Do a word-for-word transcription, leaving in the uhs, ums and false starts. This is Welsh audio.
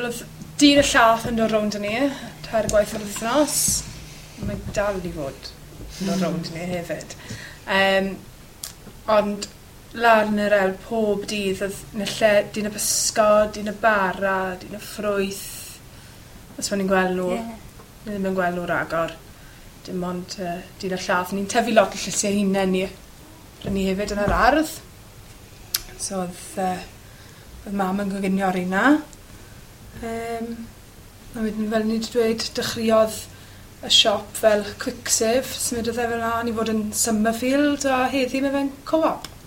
Wel, oedd dyn y llath yn dod rownd â ni, tair gwaith yr wythnos. Mae dal i fod yn dod rownd ni hefyd. Um, ond lan yn yr el pob dydd oedd yn y lle dyn y pysgod, dyn y bara, dyn y ffrwyth. Os o'n i'n gweld nhw, yeah. Ni ddim yn gweld nhw ragor. Dim ond uh, dyn y llath. Ni'n tyfu lot o llysiau hunain ni. Rydyn ni hefyd yn yr ardd. So oedd, uh, oedd mam yn coginio ar hynna. Um, a wedyn fel ni wedi dweud, dechreuodd y siop fel Quick Save, symudodd e fel mlaen i fod yn Summerfield a heddi mae fe'n co-op.